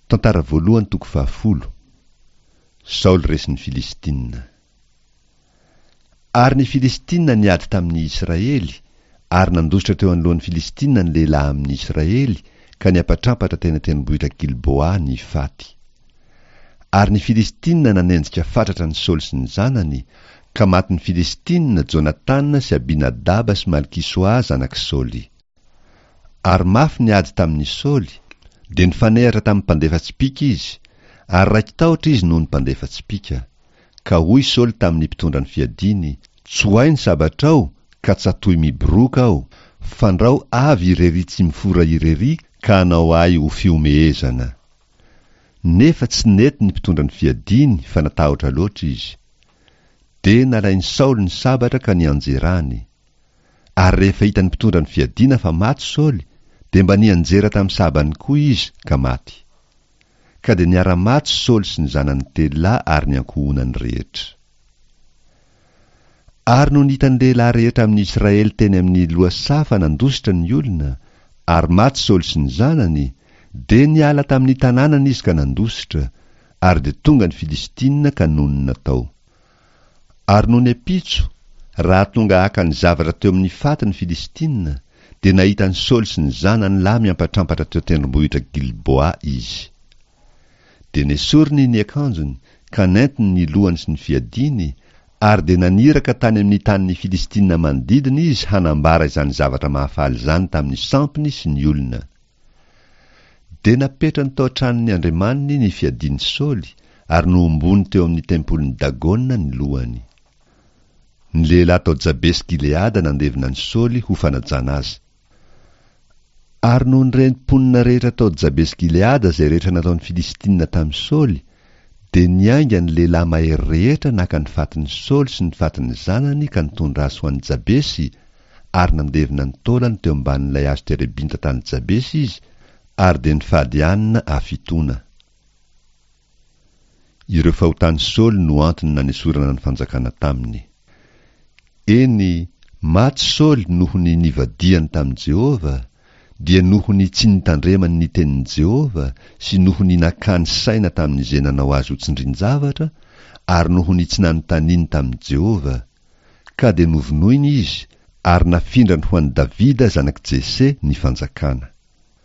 Tantara voalohany toko fahafolo. Saoly resin'ny Filistina. Ary ny Filistina niady tamin'ny Israely, ary nandositra teo anoloan'ny Filistina ny lehilahy amin'ny Israely, ka niampatrampatra teny an-tendrombohitra Gilboa ny faty. Ary ny Filistina nanenjika fatratra an'i Saoly sy ny zanany, ka matin'ny Filistina Jonatana sy Abinadaba sy Malkisoa zanak'i Saoly. Ary mafy ny ady tamin'i Saoly, dia nifanehatra tamin'ny mpandefa tsipìka izy, ary raiki-tahotra izy noho ny mpandefa tsipìka. Ka hoy Saoly tamin'ny mpitondra ny fiadiany, Tsoahy ny sabatrao, ka tsatohy miboroaka aho, fandrao avy irery tsy mifora irery ka hanao ahy ho fihomehezana. Nefa tsy nety ny mpitondra ny fiadiany fa natahotra loatra izy. Dia nalain'i Saoly ny sabatra ka nianjerany. Ary rehefa hitan'ny mpitondra ny fiadiana fa maty Saoly, dia mba nianjera tamin'ny sabany koa izy ka maty. Ka dia niara-maty Saoly sy ny zanany telolahy ary ny ankohonany rehetra. Ary nony hitan'ny lehilahy rehetra amin'ny Israely teny amin'ny lohasaha fa nandositra ny olona, ary maty Saoly sy ny zanany, dia niala tamin'ny tanànany izy ka nandositra, ary dia tonga ny Filistina ka nonina tao. Ary nony ampitso, raha tonga haka ny zavatra teo amin'ny faty ny Filistina, dia nahita an'i Saoly sy ny zanany lahy miampatrampatra teo an-tendrombohitra Gilboa izy. Dia nesoriny ny akanjony, ka nentiny ny lohany sy ny fiadiany, ary dia naniraka tany amin'ny tanin'ny Filistina manodidina izy hanambara izany zavatra mahafaly izany tamin'ny sampiny sy ny olona. Dia napetrany tao an-tranon'ny andriamaniny ny fiadian'i Saoly, ary nohomboany teo amin'ny tempolin'i Dagona ny lohany. Ny lehilahy tao Jabesy-Gileada nandevina an'i Saoly ho fanajana azy. Ary nony ren'ny mponina rehetra tao Jabesy-Gileada izay rehetra nataon'ny Filistina tamin'i Saoly, dia niainga ny lehilahy mahery rehetra naka ny fatin'i Saoly sy ny fatin'ny zanany ka nitondra azy ho any Jabesy, ary nandevina ny taolany teo ambanin'ilay hazo terebinta tany Jabesy izy, ary dia nifady hanina hafitoana. Ireo fahotan'i Saoly no antony nanesorana ny fanjakana taminy. Eny, maty Saoly noho ny nivadihany tamin'i Jehovah, dia noho ny tsy nitandremany ny tenin'i Jehovah sy noho ny nakany saina tamin'izay nanao azy ho tsindrin-javatra, ary noho ny tsy nanontaniany tamin'i Jehovah. Ka dia novonoiny izy, ary nafindrany ho an'i Davida zanak'i Jese ny fanjakana.